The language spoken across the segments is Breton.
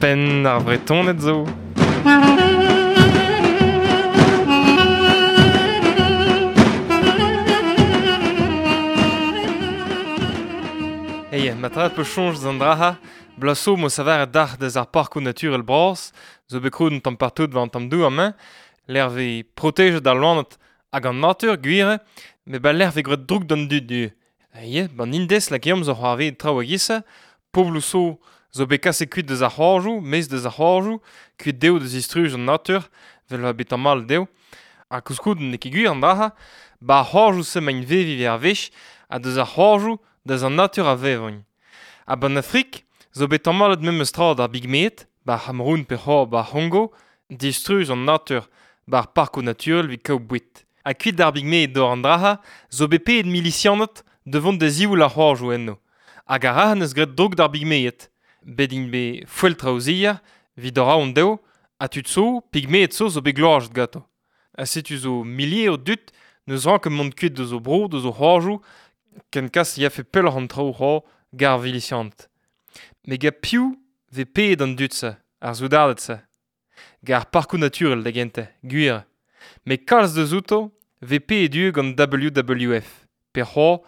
Penn ar Vretoned zo. Hey, ma tra peus soñj deus an dra-ha, bloaz zo 'mo savaret dac'h deus ar parkoù naturel bras, zo bet krouet un tamm partout war an tamm douar-mañ, lec'h 'vez protejet al loened hag an natur, gwir eo, met ba lec'h 'vez graet droug d'an dud ivez. Ya, 'ban Indez lakaomp zo c'hoarvezet traoù a-giz-se, pobloù zo zo bet kaset kuit deus ar c'hoajoù, maez deus ar c'hoajoù, kuit dezho da zistruj an natur, 'vel 'oa bet tamallet dezho. Ha koulskoude n'eo ket gwir an dra-se, 'ba ar c'hoajoù-se 'maint veviñ evit ar wech, ha deus ar c'hoajoù deus an natur a vevont. Ha 'ban Afrik zo bet tamallet memes tra d'ar bigmeed, 'ba ar C'hameroun pe c'hoazh 'ba ar C'hongo, distruj an natur 'ba ar parkoù naturel evit kaout boued. Ha kuit d'ar bigmeed d'ober an dra-se zo bet paeet milisianed da vont da ziwall ar c'hoajoù eno. Hag ar ra 'neus graet droug d'ar bigmeed. Bet int bet foeltraozier evit ober aon dezho ha tud zo, pigmeed zo, zo bet gloazet ganto. Ha setu zo milieroù dud n'eus ranket mont kuit deus o bro, deus o c'hoajoù, ken kas e yafe pelloc'h an traoù c'hoazh gant ar vilisianed. Met gant piv 'vez paeet an dud-se, ar soudarded-se? Gant ar parkoù naturel da gentañ, gwir eo. Met kalz deus outo 'vez paeet ivez gant WWF pe c'hoazh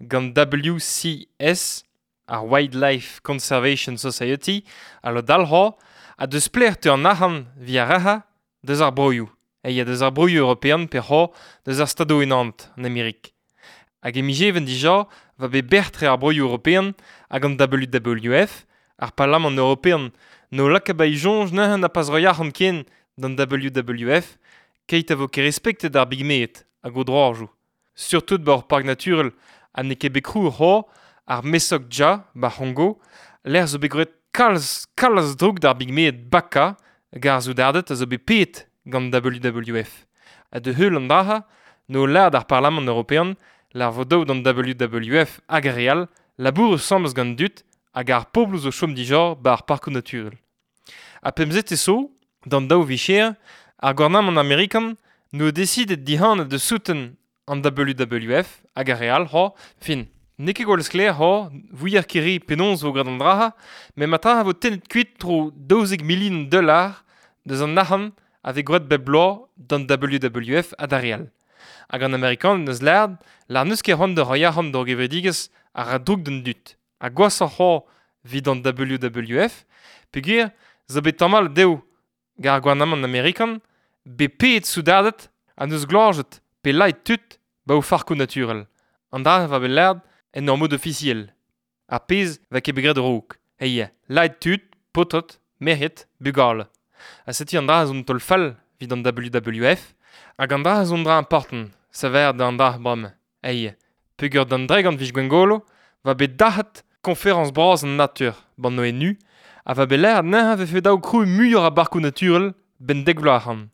gant WCS, ar Wildlife Conservation Society, ha lod all c'hoazh, ha deus pelec'h 'teu an arc'hant 'vit ar re-se deus ar broioù. Ya deus ar broioù european pe c'hoazh deus ar Stadoù-Unanet, an Amerik. Hag e miz Even dija 'va bet bec'h-tre ar broioù european hag an WWF, ar Parlamant european n'o laka ba e soñj neuze na pas roiñ arc'hant ken d'an WWF keit a vo ket respektet ar bigmeed hag o droajoù. Surtout 'ba ur park naturel ha n'eo ket bet krouet c'hoazh, ar Mesok Dja 'ba C'hongo, lec'h zo bet graet kalz kalz droug d'ar bigmeed Baka hag ar soudarded a zo bet paeet gant WWF. Ha da heul an dra-se n'o lâret ar Parlamant european lar vo dav d'an WWF hag ar re all labourat asambles gant dud hag ar pobloù zo chom dija 'ba ar parkoù naturel. Ha pemzete zo, d'an daou vicher, ar gouarnamant amerikan n'o desidet dihanañ da souten an WWF hag ar re all c'hoazh, fin. N'eo ket gwall sklaer c'hoazh, 'vouier ket re penaos 'vo graet an dra-se, met ma vo tennet kuit tro 12 milion dollar deus an arc'hant a vez graet bep bloaz d'an WWF ha d'ar re all. Hag an Amerikaned 'neus lâret lâr n'eus ket c'hoant da roiñ arc'hant d'ur gevredigezh a ra droug d'an dud. Ha gwashoc'h c'hoazh evit an WWF peogwir zo bet tamallet dezho gant ar gouarnamant amerikan bet paeet soudarded ha 'neus gloazet pe laet tud 'ba o farkoù naturel. An dra va bet lâret en ur mod ofisiel. Ar pezh 'va ket bet graet a-raok. Eya, laet tud, paotred, merc'hed, bugale. Ha setu an dra zo un taol fall evit an WWF hag an dra zo un dra important, saver d'an dra bremañ. Eya, peogwir d'an dregont 'vije Gwengolo 'va bet dac'het koñferañs bras an natur 'ban ONU ha va bet lâret neuze 'vefe dav krouiñ muioc'h a barkoù naturel 'benn dek vloaz ac'hann.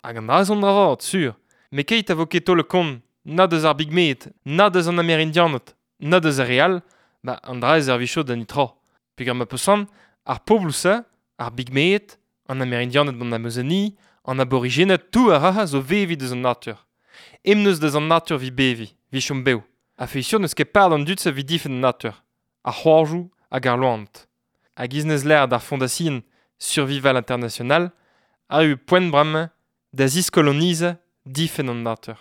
Hag an dra zo un dra vat, sur. Met keit a vo ket taolet kont na deus ar bigmeed, na deus an Amerindianed, na deus ar re all, ba an dra e servijo da netra. Peogwir ma peus c'hoant, ar pobloù-se, ar bigmeed, an Amerindianed d'an Amazonie, an aborijened tout a ra zo veviñ deus an natur. Em neus deus an natur 'vit beviñ, 'vit chom bev. Ha sur n'eus ket par d'an dud-se 'vit difenn an natur, ar c'hoajoù hag ar loened. Hag iz neus lâret ar Fondasion Survival International, arru poent bremañ da ziskolonizañ difenn an natur.